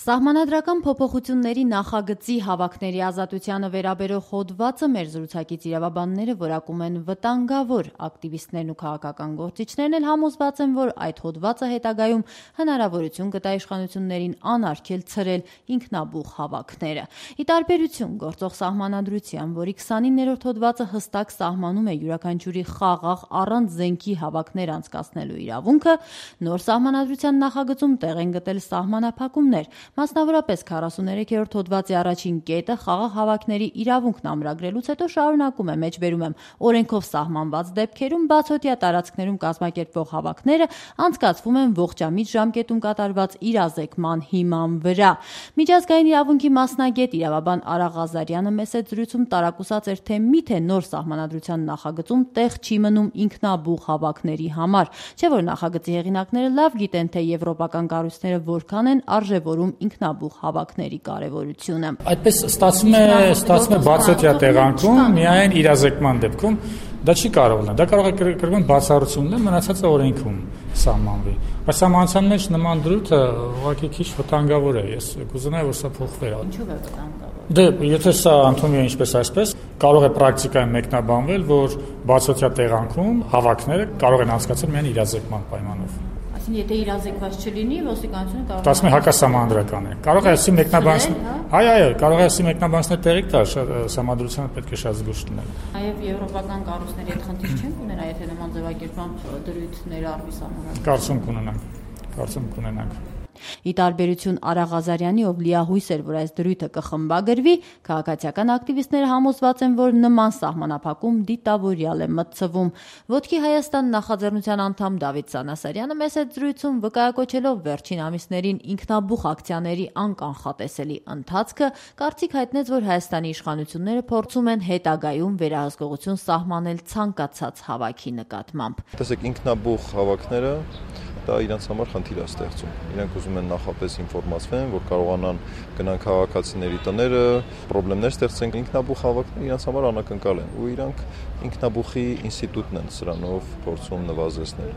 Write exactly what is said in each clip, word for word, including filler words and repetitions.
Սահմանադրական փոփոխությունների նախագծի հավաքների ազատությանը վերաբերող հոդվածը մեր զրուցակից իրավաբանները որակում են վտանգավոր։ Ակտիվիստներն ու քաղաքական գործիչներն էլ համոզված են, որ այդ հոդվածը հետագայում հնարավորություն կտա իշխանություններին անարգել ցրել ինքնաբուխ հավաքները։ Ի տարբերություն գործող սահմանադրության, որի քսանիններորդ հոդվածը հստակ սահմանում է յուրաքանչյուրի խաղաղ առանց զենքի հավաքներ անցկացնելու իրավունքը, նոր սահմանադրության նախագծում տեղ են գտել սահմանափակումներ։ Մասնավորապես քառասուներեքերորդ հոդվածի առաջին կետը խաղաղ հավաքների իրավունքն ամրագրելուց հետո շարունակում է, մեջբերում եմ, օրենքով սահմանված դեպքերում բացօթյա տարածքներում կազմակերպվող հավաքները անցկացվում են ողջամիտ ժամկետում կատարված իրազեկման հիման վրա։ Միջազգային իրավունքի մասնագետ իրավաբան Արա Ղազարյանը մեծ զրույցում տարակուսած էր, թե միթե նոր սահմանադրության նախագծում տեղ չի մնում ինքնաբուխ հավաքների համար, չէ՞ որ նախագծի հեղինակները լավ գիտեն, թե եվրոպական կառույցները որքան են արժևորում ինքնաբուխ հավաքների կարևորությունը։ Այդպես ստացվում է, ստացվում է բացօթյա տեղանքում, միայն իրազեկման դեպքում դա չի կարող լինել։ Դա կարող է կրկին բացառություն լինել, մնացածը օրենքում սահմանվի։ Բայց սահմանության մեջ նման դրույթը ուղղակի քիչ վտանգավոր է։ Ես կուզենայի, որ սա փոխվեր։ Ինչու՞ է վտանգավոր։ Դե, եթե սա ընդունվի ինչպես այսպես, կարող է պրակտիկայում մեկնաբանվել, որ բացօթյա տեղանքում հավաքները կարող են անցկացնել միայն իրազեկման պայմանով։ Եթե իրազեկված չլինի, ոստիկանությունը կարող է Դասում է հակասահմանադրական է։ Կարող է ասի մեկնաբանցնել։ Այո, այո, կարող է ասի մեկնաբանցնել տեղիք տալ, սահմանադրությունը պետք է շատ զգուշ լինել։ Նաև եվրոպական կառույցների հետ խնդիր չեն ունենա, եթե նման ձևակերպման դրույթներ արվի սահմանադրական։ Կարծում կունենանք։ Կարծում կունենանք։ Ի տարբերություն Արա Ղազարյանի, ով լիահույս էր, որ այս դրույթը կխմբագրվի, քաղաքացիական ակտիվիստները համոզված են, որ նման սահմանափակում դիտավորյալ է մտցվում։ Ոտքի Հայաստան նախաձեռնության անդամ Դավիթ Սանասարյանը մեծ զրույցում վկայակոչելով վերջին ամիսներին ինքնաբուխ ակցիաների անկանխատեսելի ընթացքը, կարծիք հայտնեց, որ Հայաստանի իշխանությունները փորձում են հետագայում վերահսկողություն սահմանել ցանկացած հավաքի նկատմամբ։ Տեսեք, ինքնաբուխ հավաքները դա իրենց համար խնդիր է ստեղծում։ Իրենք ուզում են նախապես ինֆորմացվեն, որ կարողանան գնան քաղաքացիների տները, խնդիրներ ստեղծեն։ Ինքնաբուխ հավաքները իրենց համար անակնկալ են, ու իրանք ինքնաբուխի ինստիտուտն են սրանով փորձում նվազեցնել։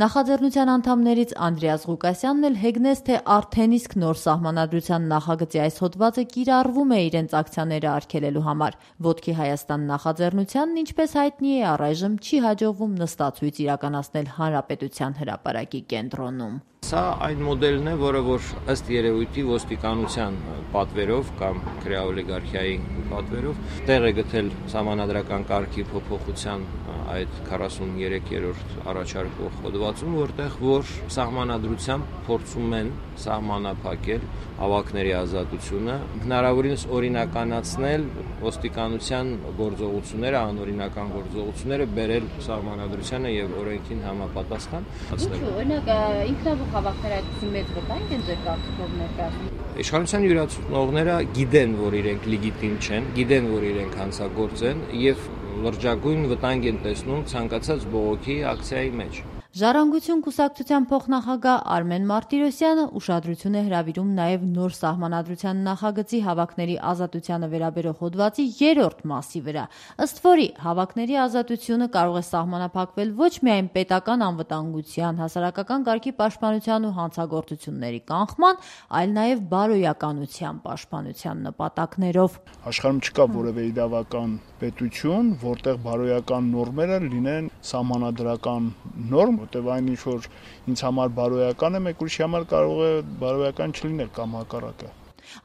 Նախաձեռնության անդամներից Անդրեաս Ղուկասյանն էլ հեգնեց, թե արդեն իսկ նոր սահմանադրության նախագծի այս հոդվածը կիրառվում է իրենց ակցիաները արգելելու համար։ Ոտքի Հայաստան նախաձեռնությանն, ինչպես հայտնի է, առայժմ չի հաջողվում նստացույց իրականացնել Հանրապետության հրապարակի կենտրոնում։ Սա այն մոդելն է, որը որ ըստ երևույթի ոստիկանության պատվերով կամ քրեաօլիգարխիայի պատվերով տեղ է գտել սահմանադրական կարգի փոփոխության այդ քառասուներեքերորդ առաջարկող հոդվածում, որտեղ որ սահմանադրությամբ փորձում են սահմանափակել հավաքների ազատությունը, հնարավորինս օրինականացնել ոստիկանության գործողությունները, անօրինական գործողությունները բերել սահմանադրությանը եւ օրենքին համապատասխան։ Ինչու՞, օրինակ, ինքնաբուխ հավաքները այդպիսի մեծ վտանգ են ձեր կարծիքով ներկայացնում։ Իշխանության յուրացնողները գիտեն, որ իրենք լեգիտիմ չեն, գիտեն, որ իրենք հանցագործ են եւ լրջագույն վտանգ են տեսնում ցանկացած բողոքի ակցիայի մեջ։ Ժառանգություն կուսակցության փոխնախագահ Արմեն Մարտիրոսյանը ուշադրություն է հրավիրում նաև նոր սահմանադրության նախագծի հավաքների ազատությանը վերաբերող հոդվածի երրորդ մասի վրա, ըստ որի հավաքների ազատությունը կարող է սահմանափակվել ոչ միայն պետական անվտանգության, հասարակական կարգի պաշտպանության ու հանցագործությունների կանխման, այլ նաև բարոյականության պաշտպանության նպատակներով։ Աշխարհում չկա որևէ իրավական պետություն, որտեղ բարոյական նորմերը լինեն սահմանադրական նորմ, որտեղ այն ինչ որ ինձ համար բարոյական է, մեկ ուրիշի համար կարող է բարոյական չլինել կամ հակառակը։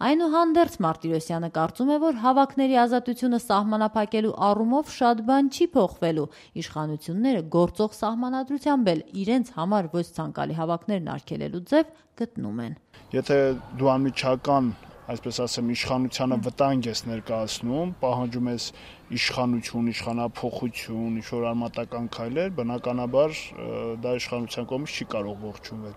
Այնուհանդերձ Մարտիրոսյանը կարծում է, որ հավաքների ազատությունը սահմանափակելու առումով շատ բան չի փոխվելու։ Իշխանությունները գործող սահմանադրությամբ էլ իրենց համար ոչ ցանկալի հավաքներն արգելելու ձև գտնում են։ Եթե դու անմիջական, այսպես ասեմ, իշխանությանը վտանգ ես ներկայացնում, պահանջում ես իշխանություն, իշխանափոխություն, ինչ-որ արմատական քայլեր, բնականաբար դա իշխանության կողմից չի կարող ողջունվել։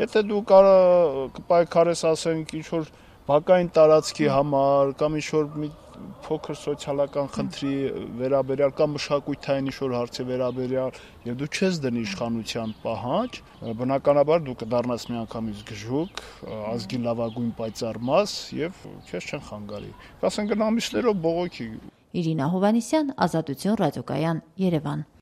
Եթե դու կպայքարես, ասենք, ինչ-որ բակային տարածքի համար կամ ինչ-որ մի փոքր սոցիալական խնդրի վերաբերյալ կամ մշակութային ինչ-որ հարցի վերաբերյալ եւ դու չես դնի իշխանության պահանջ, բնականաբար դու կդառնաս միանգամից գժուկ, ազգի լավագույն պայծառ մաս եւ քեզ չեն խանգարի։ Կասեն գնա ամիսներով բողոքի։ Իրինա Հովհաննիսյան, Ազատություն ռադիոկայան, Երևան։